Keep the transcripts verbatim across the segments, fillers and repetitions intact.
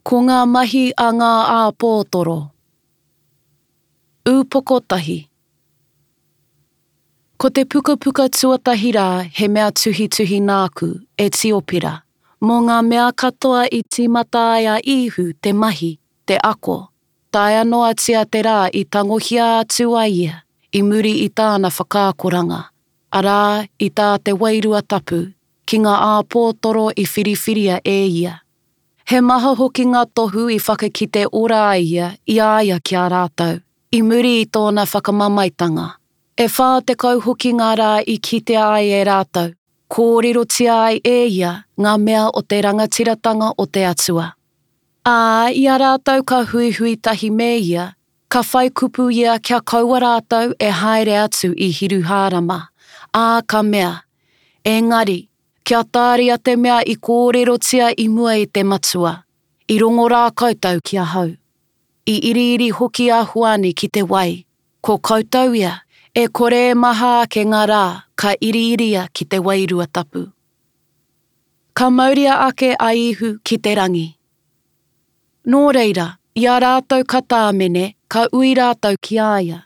Ko ngā mahi a ngā āpōtoro. Ūpoko tahi. Ko te pukapuka tuatahi rā he mea tuhituhi nāku, e Tiopira, mō ngā mea katoa i tīmata ai a Īhu te mahi, te ako, taea noatia te rā i tangohia atu ai ia i muri i tāna whakaakoranga, arā, i tā te Wairua Tapu, ki ngā āpōtoro i whiriwhiria e ia. He maha hoki ngā tohu i whakakite ora ai ia i a ia ki a rātou, i muri i tōna whakamamaetanga. E whā tekau hoki ngā rā i kitea ai e rātou, kōrerotia ai e ia ngā mea o te rangatiratanga o te Atua. Ā, i a rātou ka huihui tahi me ia, ka whai kupu ia kia kaua rātou e haere atu i Hiruhārama, ā, ka mea, Engari, Kia tāria te mea i kōrerotia i mua e te Matua, i rongo rā koutou ki ahau. I iriiri hoki a Hoani ki te wai, ko koutou ia, e kore e maha ake ngā rā ka iriiria ki te Wairua Tapu. Ka mauria ake a Īhu ki te rangi. Nō reira, i a rātou ka tāmene, ka ui rātou ki a ia,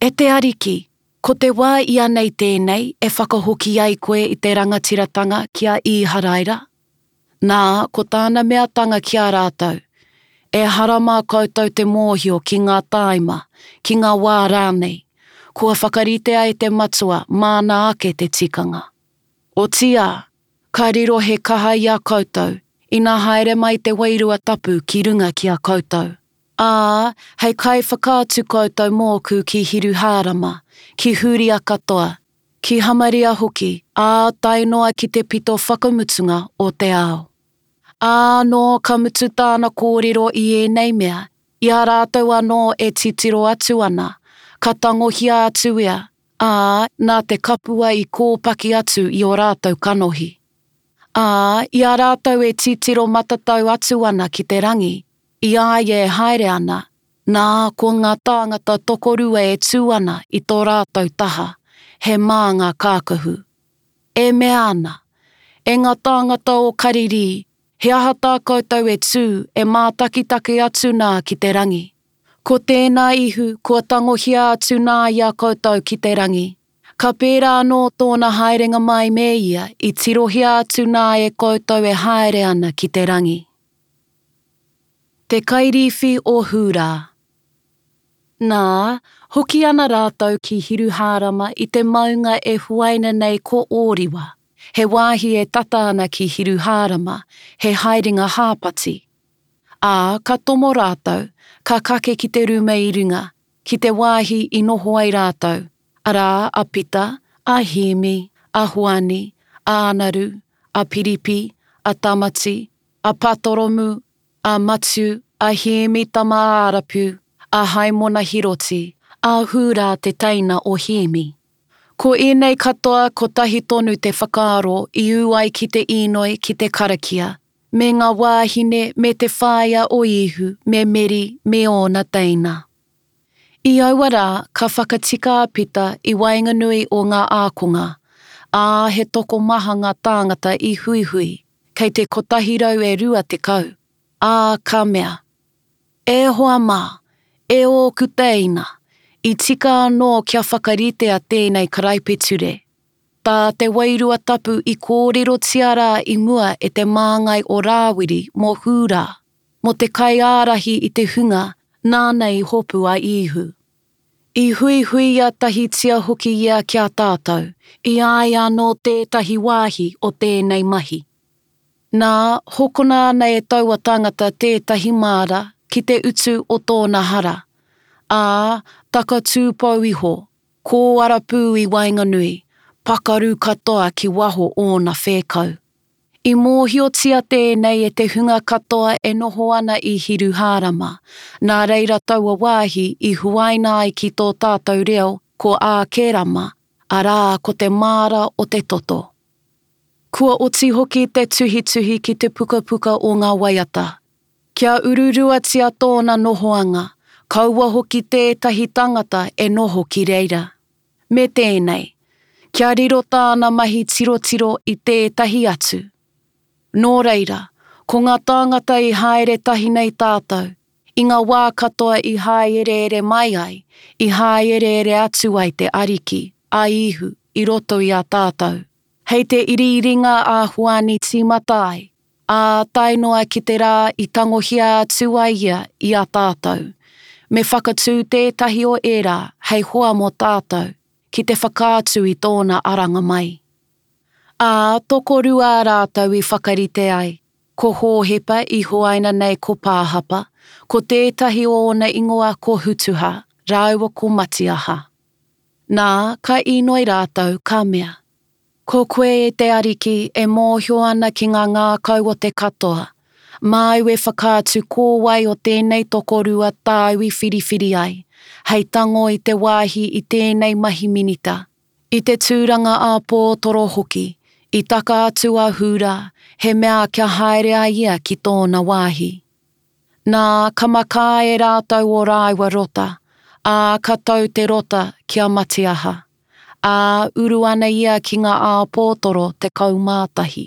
E te Ariki, ko te wā ianei tēnei e whakahoki ai koe i te rangatiratanga ki a Īharaira? Nā, ko tāna meatanga ki a rātou, Ehara mā koutou te mōhio ki ngā tāima, ki ngā wā rānei, kua whakaritea e te Matua māna ake te tikanga. Otiia, ka riro he kaha i a koutou, ina haere mai te Wairua Tapu ki runga ki a koutou. Ā, hei kaiwhakaatu koutou mōku ki Hiruhārama, ki Hūria katoa, ki Hamaria hoki, ā, tae noa ki te pito whakamutunga o te ao. Ā, nō ka mutu tāna kōrero i ēnei mea, i a rātou anō e titiro atu ana, ka tangohia atu ia, ā, nā te kapua i kōpaki atu i ō rātou kanohi. Ā, i a rātou e titiro matatau atu ana ki te rangi, i a ia e haere ana, nā, ko ngā tāngata tokorua e tū ana i tō rātou taha, he mā ngā kākahu. E mea ana, E ngā tāngata o Karirī, he aha tā koutou e tū, e mātakitaki atu nā ki te rangi? Ko tēnā Ihu kua tangohia atu nā i a koutou ki te rangi. Ka pērā anō tōna haerenga mai me ia i tirohia atu nā e koutou e haere ana ki te rangi. Te kairīwhi o Hūrā. Nā, hoki ana rātou ki Hiruhārama i te maunga e huaina nei ko Ōriwa, he wāhi e tata ana ki Hiruhārama, he haerenga hāpati. Ā, ka tomo rātou, ka kake ki te ruma i runga, ki te wāhi i noho ai rātou, arā, a Pita, a Hēmi, a Hoani, a Anaru, a Piripi, a Tamati, a Patoromu, a Matiu, a Hēmi tama a Arapu, a Haimona Hiroti, a Hūrā te teina o Hēmi. Ko ēnei katoa kotahi tonu te whakaaro i ū ai ki te īnoi ki te karakia, me ngā wāhine me te whaea o Īhu me Meri me ōna teina. I aua rā ka whakatika a Pita i waenganui o ngā ākonga, ā, he tokomaha ngā tāngata i huihui, kei te kotahi rau e rua tekau. Ā, ka mea, E hoa mā, e ōku tēina, i tika anō kia whakaritea tēnei karaipiture, tā te Wairua Tapu i kōrerotia rā i mua e te māngai o Rāwiri mō Hūrā, mō te kaiārahi i te hunga nāna i hopu a Īhu. I huihuia tahitia hoki ia ki a tātou, i a ia anō tētahi wāhi o tēnei mahi. Nā, hokona ana e taua tangata tētahi māra ki te utu o tōna hara, ā, takatū pou iho, kōara pū i waenganui, pakaru katoa ki waho ōna whēkau. I mōhiotia tēnei e te hunga katoa e noho ana i Hiruhārama, nā reira taua wāhi i huaina ai ki tō tātou reo ko Ākerama, arā, ko te māra o te toto. Kua oti hoki te tuhituhi ki te pukapuka o ngā waiata. Kia ururuatia tōna nohoanga, kaua hoki tētahi tangata e noho ki reira. Me tēnei, kia riro tāna mahi tirotiro i tētahi atu. Nō reira, Ko ngā tāngata i haere tahi nei tātou, i ngā wā katoa i hāereere mai ai, i hāereere atu ai te Ariki, a Īhu, i roto i a tātou. Hei te iriiringa a Hoani tīmata ai, ā, tae noa ki te rā i tangohia atu ai ia i a tātou. Me whakatū tētahi o ērā hei hoa mō tātou, ki te whakaatu i tōna aranga mai. Ā, tokorua rātou i whakarite ai, ko Hōhepa i huaina nei ko Pāhapa, ko tētahi o ōna ingoa ko Hutuha, rāua ko Matiaha. Nā, ka inoi rātou, ka mea, Ko koe e te Ariki e mōhio ana ki ngā ngākau o te katoa, māu e whakaatu ko wai o tēnei tokorua tāu i whiriwhiri ai, hei tango i te wāhi i tēnei mahi minita, i te tūranga āpōtoro hoki, i taka atu a Hūrā, he mea kia haere ai ia ki tōna wāhi. Nā, ka makā e rātou ō rāua rota, ā, ka tau te rota ki a Matiaha. Ā, uru ana ia ki ngā āpōtoro tekau mā tahi.